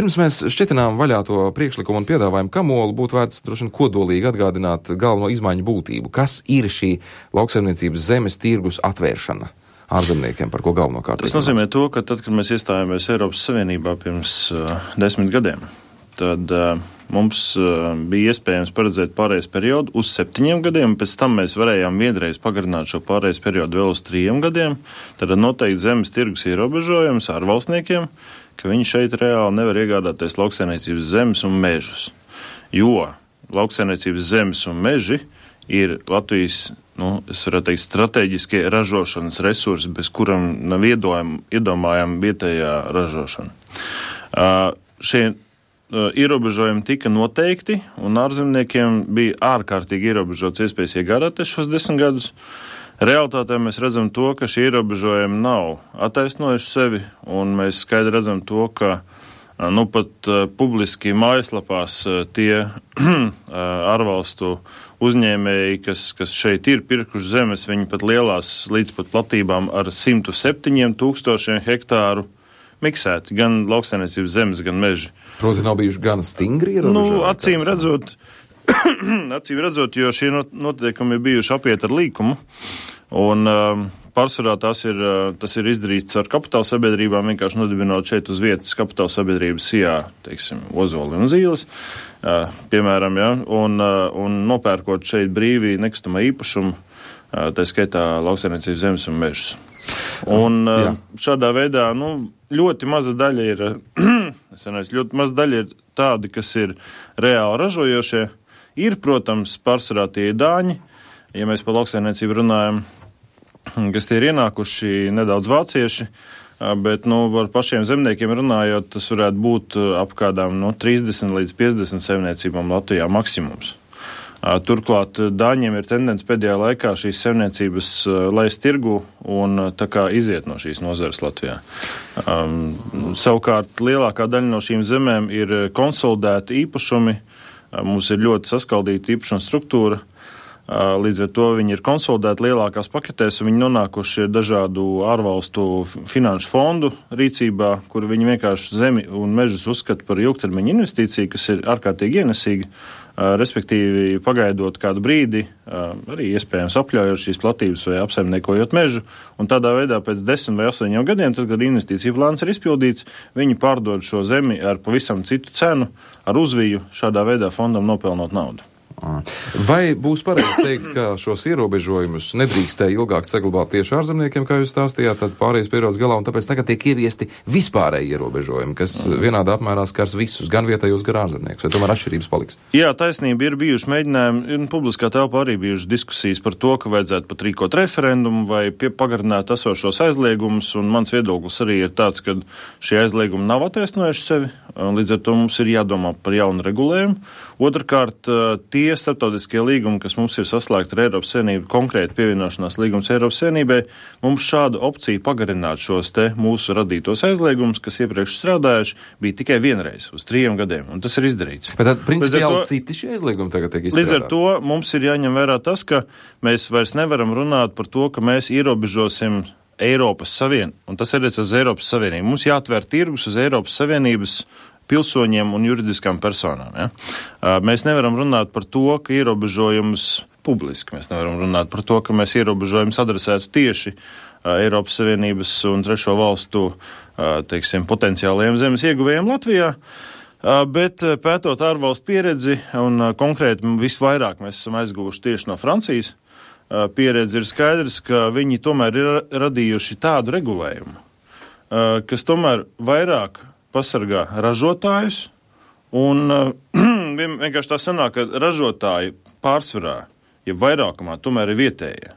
Pirms mēs šķetinām vaļā to priekšlikumu un piedāvājumu kamolu, būtu vērts droši vien kodolīgi atgādināt galveno izmaiņu būtību. Kas ir šī lauksaimniecības zemes tirgus atvēršana ārzemniekiem, par ko galvenokārt? Tas nozīmē to, ka tad, kad mēs iestājāmies Eiropas Savienībā pirms 10 gadiem, tad mums bija iespējams paredzēt pārējais periodu uz 7 gadiem, pēc tam mēs varējām vienreiz pagarināt šo pārējais periodu vēl uz 3 gadiem. Tad noteikti zemes tirgus ierobežojums ārvalstniekiem, ka viņi šeit reāli nevar iegādāties lauksaimniecības zemes un mežus. Jo lauksaimniecības zemes un meži ir Latvijas, es varētu teikt, strateģiskie ražošanas resursi, bez kuram nav iedomājama vietējā ražošana. Šie ierobežojumi tika noteikti, un ārzemniekiem bija ārkārtīgi ierobežots iespējas iegādāties šos 10 gadus. Realtātē mēs redzam to, ka šie ierobežojumi nav attaisnojuši sevi, un mēs skaidri redzam to, ka pat publiski mājaslapās tie ārvalstu uzņēmēji, kas šeit ir pirkuši zemes, viņi pat lielās līdz pat platībām ar 107 000 hektāru miksēti, gan lauksaimniecības zemes, gan meži. Proti nav bijuši gan stingri ierobežojumi? Acīm redzot, jo šie noteikumi ir bijuši apiet ar līkumu, un pārsvarā tas ir izdarīts ar kapitāla sabiedrībām, vienkārši nodibinot šeit uz vietas kapitāla sabiedrības sijā, teiksim, ozoli un zīles, piemēram, ja, un nopērkot šeit brīvi nekustamā īpašumu, tā skaitā lauksaimniecības zemes un mežus. Un šādā veidā, ļoti maza daļa ir tādi, kas ir reāli ražojošie. Ir, protams, pārsvarā tie dāņi, ja mēs par lauksaimniecību runājam, kas tie ir ienākuši nedaudz vācieši, bet, par pašiem zemniekiem runājot, tas varētu būt ap kādām 30 līdz 50 saimniecībām Latvijā maksimums. Turklāt dāņiem ir tendence pēdējā laikā šīs saimniecības laist tirgu un tā kā iziet no šīs nozares Latvijā. Savukārt lielākā daļa no šīm zemēm ir konsolidēti īpašumi, mums ir ļoti saskaldīta īpašuma struktūra, līdz ar to viņi ir konsolidēti lielākās paketēs un viņi nonākuši dažādu ārvalstu finanšu fondu rīcībā, kur viņi vienkārši zemi un mežus uzskata par ilgtermiņa investīciju, kas ir ārkārtīgi ienesīga. Respektīvi, pagaidot kādu brīdi, arī iespējams apļaujot šīs platības vai apsaimniekojot mežu, un tādā veidā pēc 10 vai 8 gadiem, tad, kad investīcija plāns ir izpildīts, viņi pārdod šo zemi ar pavisam citu cenu, ar uzviju, šādā veidā fondam nopelnot naudu. Vai būs pareizi teikt, ka šos ierobežojumus nedrīkstēja ilgāk saglabāt tieši ārzemniekiem, kā jūs stāstījāt, tad pārējais periods galā, un tāpēc tagad tiek ieviesti vispārēji ierobežojumi, kas vienādā apmērā skars visus, gan vietējos, gan ārzemniekus, vai tomēr atšķirības paliks? Jā, taisnība, ir bijuši mēģinājumi, un publiskā telpā arī bijušas diskusijas par to, ka vajadzētu pat rīkot referendumu vai pagarināt esošos aizliegumus, un mans viedoklis arī ir tāds, ka šie aizliegumi nav attaisnojuši sevi, un līdz ar to mums ir jādomā par jaunu regulējumu. Otrkārt, tie starptautiskie līgumi, kas mums ir saslēgti ar Eiropas Savienību, konkrēti pievienošanās līgums Eiropas Savienībai, mums šādu opciju pagarināt šos te mūsu radītos aizliegumus, kas iepriekš strādājuši, bija tikai vienreiz uz 3 gadiem, un tas ir izdarīts. Bet tad, principiāli, citi šie aizliegumi tagad tiek izstrādāti. Līdz ar to mums ir jāņem vērā tas, ka mēs vairs nevaram runāt par to, ka mēs ierobežosim Eiropas Savienību, un tas ir uz Eiropas Savienību. Mums jāatver tirgus uz Eiropas Savienības pilsoņiem un juridiskām personām. Ja? Mēs nevaram runāt par to, ka ierobežojums publiski, mēs nevaram runāt par to, ka mēs ierobežojums adresētu tieši Eiropas Savienības un trešo valstu, teiksim, potenciālajiem zemes ieguvējiem Latvijā, bet pētot ārvalstu pieredzi, un konkrēti visvairāk mēs esam aizguvuši tieši no Francijas, pieredzi ir skaidrs, ka viņi tomēr ir radījuši tādu regulējumu, kas tomēr vairāk pasargā ražotājus, un vienkārši tā sanāk, ka ražotāji pārsvarā, ja vairākumā, tomēr ir vietējie.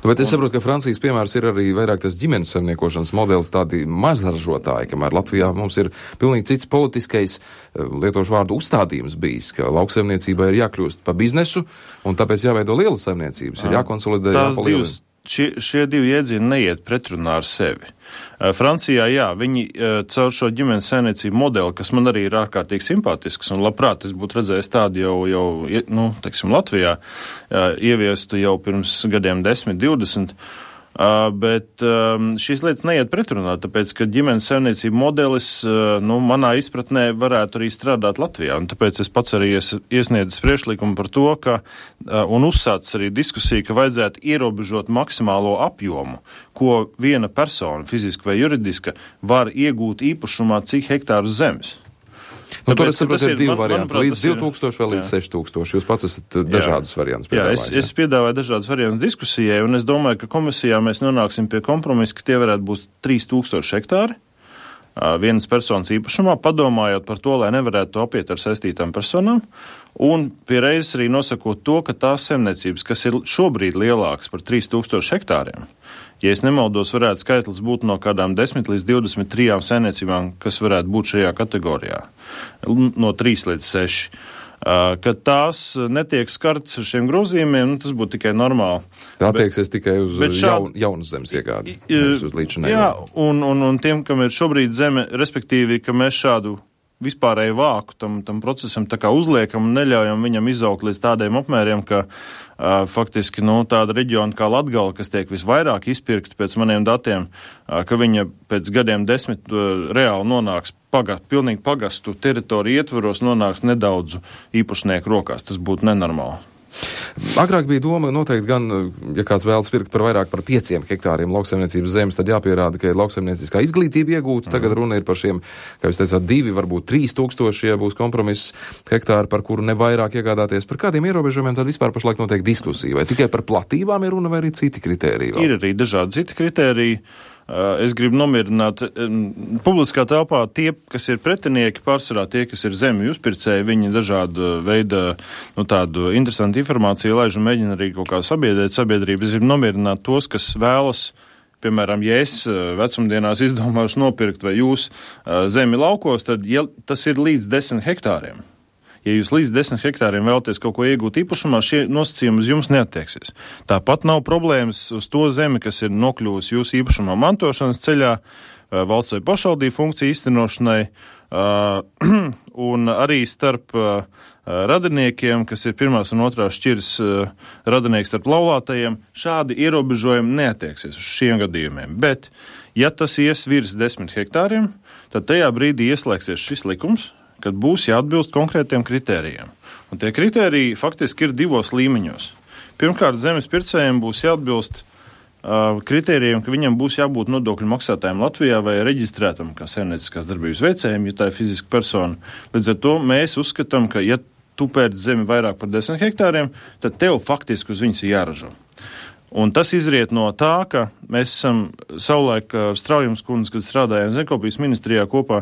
Bet es saprotu, ka Francijas piemērs ir arī vairāk tas ģimenes saimniekošanas modelis, tādi mazražotāji, kamēr Latvijā mums ir pilnīgi cits politiskais, lietošu vārdu, uzstādījums bijis, ka lauksaimniecībai ir jākļūst pa biznesu, un tāpēc jāveido lielas saimniecības, ir jākonsolidē, jāpalielina. Šie divi iedzieni neiet pretrunā ar sevi. Francijā, jā, viņi caur šo ģimenes saimniecību modeli, kas man arī ir ārkārtīgi simpātisks, un labprāt es būtu redzējis tādu teiksim, Latvijā, ieviestu jau pirms gadiem 10, 20, Bet šīs lietas neiet pretrunā, tāpēc, ka ģimenes saimniecību modelis, manā izpratnē varētu arī strādāt Latvijā. Un tāpēc es pats arī iesniedzis priekšlikumu par to, un uzsācis arī diskusiju, ka vajadzētu ierobežot maksimālo apjomu, ko viena persona, fiziska vai juridiska, var iegūt īpašumā cik hektāru zemes. Tur es saprotu, ir divi varianti, līdz 2000 vai līdz 6000. Jūs pats esat dažādus variantus piedāvājis. Jā, es piedāvāju dažādus variantus diskusijai, un es domāju, ka komisijā mēs nonāksim pie kompromisa, ka tie varētu būt 3000 hektāri vienas personas īpašumā, padomājot par to, lai nevarētu to apiet ar saistītām personām, un pie reizes arī nosakot to, ka tās saimniecības, kas ir šobrīd lielākas par 3000 hektāriem, ja es nemaldos, varētu skaitlis būt no kādām 10 līdz 23 saimniecībām, kas varētu būt šajā kategorijā, no 3 līdz 6. Kad tās netiek skarts ar šiem grozījumiem, tas būtu tikai normāli. Tā attieksies tikai uz jaunas zemes iegādi, uz līdzinēju. Jā, un tiem, kam ir šobrīd zeme, respektīvi, ka mēs šādu vispārēju vāku tam procesam tā kā uzliekam un neļaujam viņam izaugt līdz tādiem apmēriem, ka faktiski tāda reģiona kā Latgala, kas tiek visvairāk izpirkta pēc maniem datiem, ka viņa pēc gadiem 10 reāli nonāks pilnīgi pagastu teritoriju ietvaros, nonāks nedaudzu īpašnieku rokās. Tas būtu nenormāli. Agrāk bija doma noteikti gan, ja kāds vēlas pirkt par vairāk par 5 hektāriem lauksaimniecības zemes, tad jāpierāda, ka ir lauksaimnieciskā izglītība iegūta. Tagad runa ir par šiem, kā jūs teicāt, 2, varbūt 3000, ja būs kompromiss hektāri, par kuru nevairāk iegādāties. Par kādiem ierobežojumiem tad vispār pašlaik notiek diskusija? Vai tikai par platībām ir runa vai arī citi kritēriji? Ir arī dažādi citi kritēriji. Es gribu nomierināt publiskā telpā tie, kas ir pretinieki, pārsvarā tie, kas ir zemju uzpircēji, viņi dažādu veidu, tādu interesantu informāciju laiž un mēģina arī kaut kā sabiedrēt sabiedrību. Es gribu nomierināt tos, kas vēlas, piemēram, ja es vecumdienās izdomāšu nopirkt vai jūs zemi laukos, tad ja tas ir līdz 10 hektāriem. Ja jūs līdz 10 hektāriem vēlaties kaut ko iegūt īpašumā, šie nosacījumi uz jums neattieksies. Tāpat nav problēmas uz to zemi, kas ir nokļuvusi jūsu īpašumā mantošanas ceļā, valsts vai pašvaldību funkciju īstenošanai, un arī starp radiniekiem, kas ir pirmās un otrās šķiras radinieki starp laulātajiem, šādi ierobežojumi neattieksies uz šiem gadījumiem. Bet, ja tas ies virs 10 hektāriem, tad tajā brīdī ieslēgsies šis likums, kad būs jāatbilst konkrētiem kritērijiem. Un tie kritēriji faktiski ir 2 līmeņos. Pirmkārt, zemes pircējiem būs jāatbilst kritērijiem, ka viņam būs jābūt nodokļu maksātājiem Latvijā vai reģistrētam kā saimnieciskās darbības veicējiem, ja tā ir fiziska persona. Līdz ar to mēs uzskatām, ka ja tu pērc zemi vairāk par 10 hektāriem, tad tev faktiski uz viņas ir jāražo. Un tas izriet no tā, ka mēs esam savulaik ar Straujums kundzi, kad strādājām Zemkopības ministrijā kopā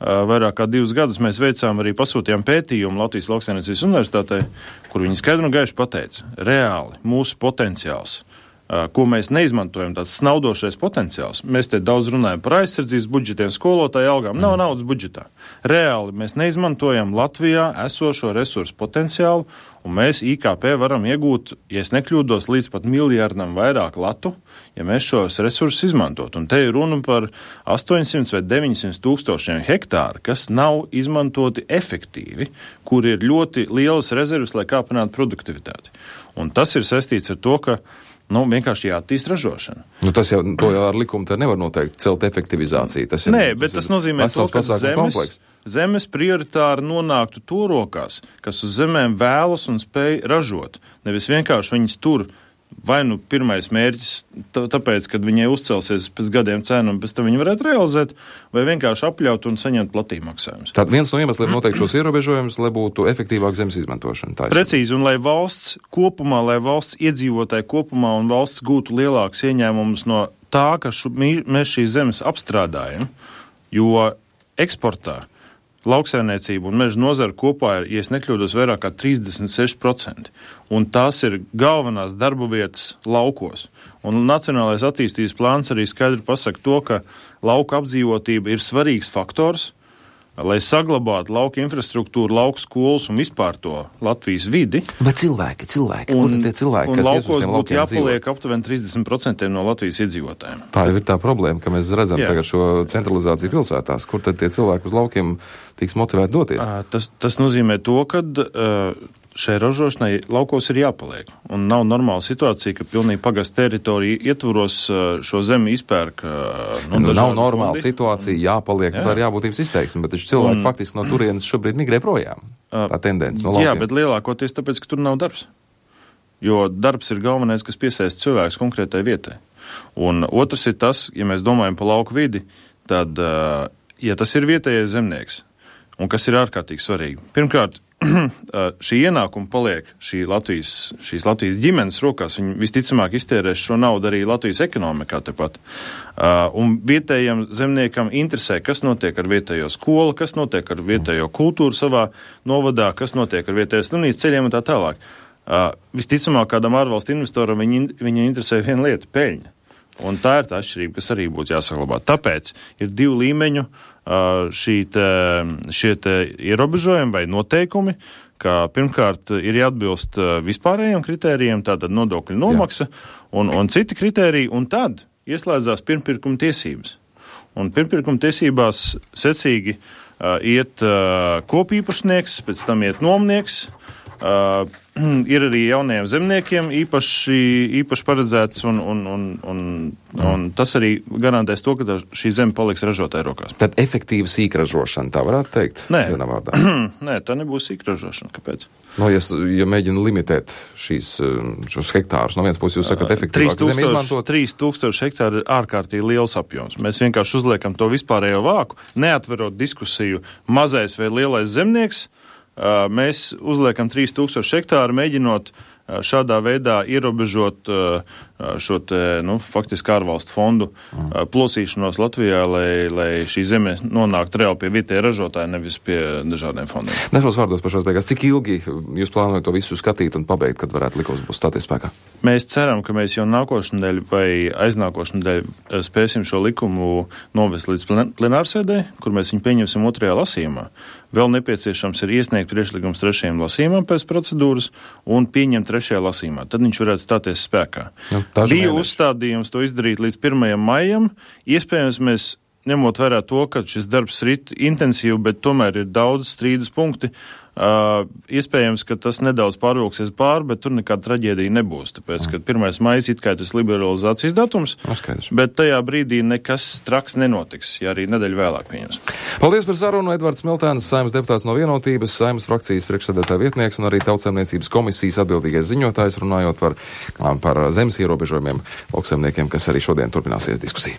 vairāk kā 2 gadus, mēs veicām arī pasūtījām pētījumu Latvijas Lauksaimniecības universitātei, kur viņi skaidri un gaiši pateica, reāli mūsu potenciāls, ko mēs neizmantojam, tāds snaudošais potenciāls. Mēs te daudz runājam par aizsardzības budžetiem, skolotāju algām. Nav naudas budžetā. Reāli mēs neizmantojam Latvijā esošo resursu potenciālu, un mēs IKP varam iegūt, ja es nekļūdos, līdz pat miljardam vairāk latu, ja mēs šos resursus izmantot. Un te ir runa par 800 vai 900 tūkstošiem hektāru, kas nav izmantoti efektīvi, kur ir ļoti lielas rezerves, lai kāpinātu produktivitāti. Un tas ir saistīts ar to, ka vienkārši jāattīst ražošana. Tas jau ar likumu te nevar noteikt celt efektivizāciju. Tas nozīmē to, ka zemes prioritāri nonāktu to rokās, kas uz zemēm vēlas un spēj ražot. Nevis vienkārši viņas tur vai pirmais mērķis, tāpēc, kad viņai uzcelsies pēc gadiem cenu un pēc tam viņi varētu realizēt, vai vienkārši apļaut un saņemt platību maksājumus. Tad viens no iemesliem noteikti šos ierobežojumus, lai būtu efektīvāk zemes izmantošana. Precīzi, un lai valsts kopumā, lai valsts iedzīvotāji kopumā un valsts gūtu lielākus ieņēmumus no tā, ka mēs šīs zemes apstrādājam, jo eksportā lauksaimniecība un meža nozara kopā ir, ja es nekļūdos, vairāk kā 36%. Un tās ir galvenās darba vietas laukos. Un Nacionālais attīstības plāns arī skaidri pasaka to, ka lauka apdzīvotība ir svarīgs faktors, lai saglabātu lauka infrastruktūru, lauka skolas un vispār to Latvijas vidi. Bet cilvēki, kur tad tie cilvēki, kas ies uz tiem laukiem dzīvo? Un laukos būtu jāpaliek aptuveni 30% no Latvijas iedzīvotājiem. Tā jau ir tā problēma, ka mēs redzam tagad šo centralizāciju pilsētās. Kur tad tie cilvēki uz laukiem tiks motivēti doties? Tas nozīmē to, ka šai ražošanai laukos ir jāpaliek. Un nav normāla situācija, ka pilnīgi pagasta teritorija ietvaros šo zemi izpērk. Nav normāla situācija, jāpaliek, tā ir jābūtības izteiksme, bet cilvēki faktiski no turienes šobrīd migrē projām. Tā tendence no laukiem. Jā, bet lielākoties tāpēc, ka tur nav darbs. Jo darbs ir galvenais, kas piesaista cilvēks konkrētai vietai. Un otrs ir tas, ja mēs domājam par lauku vidi, tad, ja tas ir vietējais zemnieks, un kas ir ārkārtīgi svarīgi. Pirmkārt, šī ienākuma paliek šīs Latvijas ģimenes rokās. Viņi visticamāk iztērēs šo naudu arī Latvijas ekonomikā tepat. Un vietējiem zemniekam interesē, kas notiek ar vietējo skolu, kas notiek ar vietējo kultūru savā novadā, kas notiek ar vietējo slimnīcu ceļiem un tā tālāk. Visticamāk, kādam ārvalstu investoram viņa interesē viena lieta – peļņa. Un tā ir tā atšķirība, kas arī būtu jāsaglabā. Tāpēc ir 2 līmeņu šie ierobežojumi vai noteikumi, ka pirmkārt ir jāatbilst vispārējiem kritērijiem, tātad nodokļu nomaksa un citi kritēriji, un tad ieslēdzās pirmpirkuma tiesības. Un pirmpirkuma tiesībās secīgi iet kopīpašnieks, pēc tam iet nomnieks, ir arī jaunajiem zemniekiem īpaši paredzēts, un tas arī garantēs to, ka šī zeme paliks ražotāju rokās. Tad efektīva sīkražošana, tā varētu teikt? Nē, Nē, tā nebūs sīkražošana. Kāpēc? Ja mēģina limitēt šos hektārus, no vienas puses jūs sakat efektīvāk zemi izmantot? 3000 hektāri ir ārkārtīgi liels apjoms. Mēs vienkārši uzliekam to vispārējo vāku, neatverot diskusiju mazais vai lielais zemnieks. Mēs uzliekam 3000 hektāru, mēģinot šādā veidā ierobežot šo faktiski ārvalstu fondu plosīšanos Latvijā, lai šī zeme nonāktu reāli pie vietēja ražotāja, nevis pie dažādiem fondiem. Dažos vārdos pašās beigās, cik ilgi jūs plānojat to visu skatīt un pabeigt, kad varētu likums būs stāties spēkā? Mēs ceram, ka mēs jau nākošnedēļ vai aiznākošnedēļ spēsim šo likumu novest līdz plenārsēdē, kur mēs viņu pieņemsim 2. lasījumā. Vēl nepieciešams ir iesniegt priekšlikums 3. lasījumam pēc procedūras un pieņemt 3. lasījumā. Tad viņš varētu stāties spēkā. Bija uzstādījums to izdarīt līdz 1. maijam. Iespējams, mēs ņemot vērā to, ka šis darbs rit intensīvi, bet tomēr ir daudz strīdus punkti. Iespējams, ka tas nedaudz pārvilksies pāri, bet tur nekāda traģēdija nebūs. Tāpēc, ka 1. maijs it kā tas liberalizācijas datums, bet tajā brīdī nekas traks nenotiks, ja arī nedēļu vēlāk pieņems. Paldies par sarunu. Edvards Smiltēns, Saeimas deputāts no Vienotības, Saeimas frakcijas priekšsēdētāja vietnieks un arī Tautsaimniecības komisijas atbildīgais ziņotājs, runājot par zemes ierobežojumiem lauksaimniekiem, kas arī šodien turpināsies diskusija.